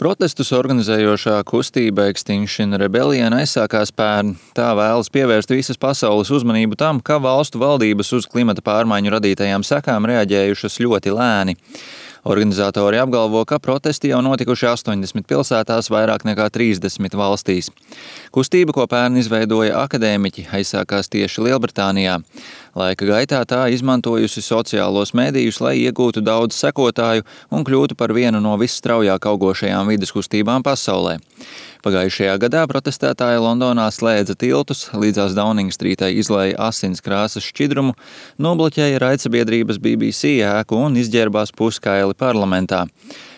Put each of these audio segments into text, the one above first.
Protestus organizējošā kustība Extinction Rebellion aizsākās pērn. Tā vēlas pievērst visas pasaules uzmanību tam, ka valstu valdības uz klimata pārmaiņu radītajām sekām reaģējušas ļoti lēni. Organizatori apgalvo, ka protesti jau notikuši 80 pilsētās vairāk nekā 30 valstīs. Kustība, ko pērn izveidoja akadēmiķi, aizsākās tieši Lielbritānijā. Laika gaitā tā izmantojusi sociālos medijus, lai iegūtu daudz sekotāju un kļūtu par vienu no visstraujāk augošajām vides kustībām pasaulē. Pagājušajā gadā protestētāji Londonā slēdza tiltus, līdzās Downing Streetai izlēja asins krāsas šķidrumu, nobloķēja raidsabiedrības BBC ēku un izģērbās puskaili parlamentā.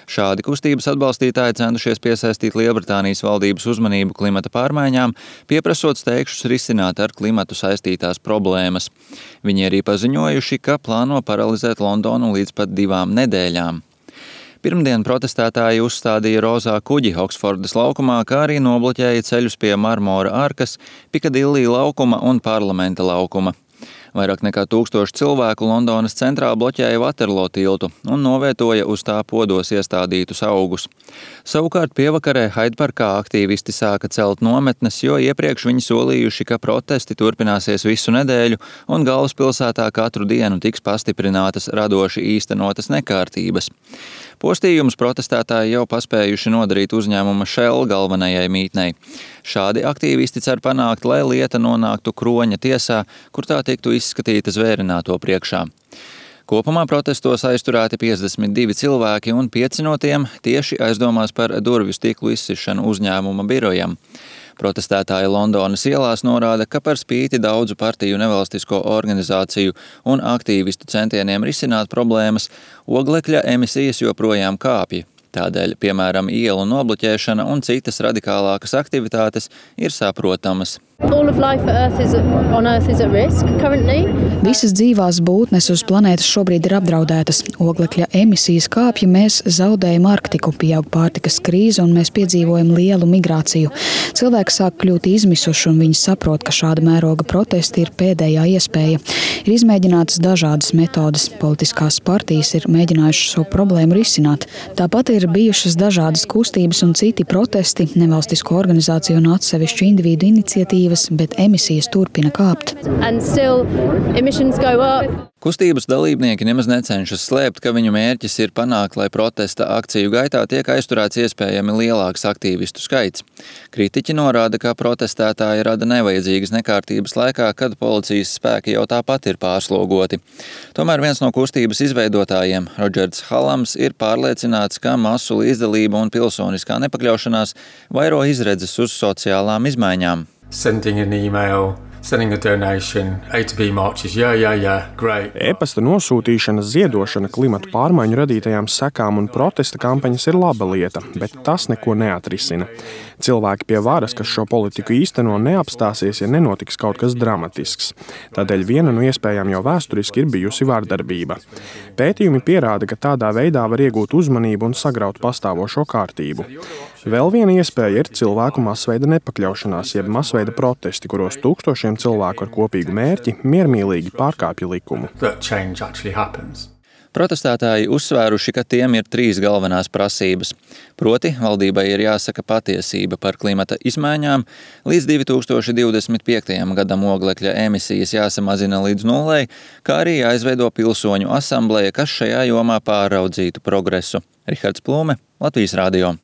Šādi kustības atbalstītāji centušies piesaistīt Lielbritānijas valdības uzmanību klimata pārmaiņām, pieprasot steigšus risināt ar klimatu saistītās problēmas. Viņi arī paziņojuši, ka plāno paralizēt Londonu līdz pat 2 nedēļām. Pirmdien protestētāji uzstādīja rozā kuģi Oksfordas laukumā, kā arī nobloķēja ceļus pie Marmora arkas, Pikadillī laukuma un Parlamenta laukuma. Vairāk nekā 1000 cilvēku Londonas centrā bloķēja Waterloo tiltu un novietoja uz tā podos iestādītus augus. Savukārt pievakarē Hyde parkā aktīvisti sāka celt nometnes, jo iepriekš viņi solījuši, ka protesti turpināsies visu nedēļu un galvaspilsētā katru dienu tiks pastiprinātas radoši īstenotas nekārtības. Postījumus protestētāji jau paspējuši nodarīt uzņēmuma Shell galvenajai mītnei. Šādi aktīvisti cer panākt, lai lieta nonāktu Kroņa tiesā, kur tā tiktu izskatīta zvērināto priekšā. Kopumā protestos aizturēti 52 cilvēki un 5 no tiem tieši aizdomās par durvju stiklu izsišanu uzņēmuma birojam. Protestētāji Londonas ielās norāda, ka par spīti daudzu partiju nevalstisko organizāciju un aktīvistu centieniem risināt problēmas, oglekļa emisijas joprojām kāpja. Tādēļ, piemēram, ielu nobloķēšana un citas radikālākas aktivitātes ir saprotamas. Visas dzīvās būtnes uz planētas šobrīd ir apdraudētas. Oglekļa emisijas kāpja, mēs zaudējam Arktiku, pieaug pārtikas krīze un mēs piedzīvojam lielu migrāciju. Cilvēki sāk kļūt izmisuši un viņi saprot, ka šāda mēroga protesti ir pēdējā iespēja. Ir izmēģinātas dažādas metodas. Politiskās partijas ir mēģinājušas šo problēmu risināt. Tāpat ir bijušas dažādas kustības un citi protesti, nevalstisko organizāciju un atsevišķu individu iniciatīvas, bet emisijas turpina kāpt. Kustības dalībnieki nemaz necenšas slēpt, ka viņu mērķis ir panākt, lai protesta akciju gaitā tiek aizturēts iespējami lielāks aktīvistu skaits. Kritiķi norāda, ka protestētāji rada nevajadzīgas nekārtības laikā, kad policijas spēki jau tāpat ir pārslogoti. Tomēr viens no kustības izveidotājiem, Rodžers Halams, ir pārliecināts, ka masu līdzdalība un pilsoniskā nepakļaušanās vairo izredzes uz sociālām izmaiņām. Sending an email, sending a donation, A to B marches, great. E-pasta nosūtīšana, ziedošana klimatu pārmaiņu radītajām sekām un protesta kampaņas ir laba lieta, bet tas neko neatrisina. Cilvēki pie varas, kas šo politiku īsteno, neapstāsies, ja nenotiks kaut kas dramatisks. Tādēļ viena no iespējām jau vēsturiski ir bijusi vardarbība. Pētījumi pierāda, ka tādā veidā var iegūt uzmanību un sagraut pastāvošo kārtību. Vēl viena iespēja ir cilvēku masveida nepakļaušanās, jeb masveida protesti, kuros tūkstošiem cilvēku ar kopīgu mērķi miermīlīgi pārkāpja likumu. Protestētāji uzsvēruši, ka tiem ir 3 galvenās prasības. Proti, valdībai ir jāsaka patiesība par klimata izmaiņām, līdz 2025. gadam oglekļa emisijas jāsamazina līdz 0, kā arī jāizveido pilsoņu asambleja, kas šajā jomā pāraudzītu progresu. Rihards Plūme, Latvijas radio.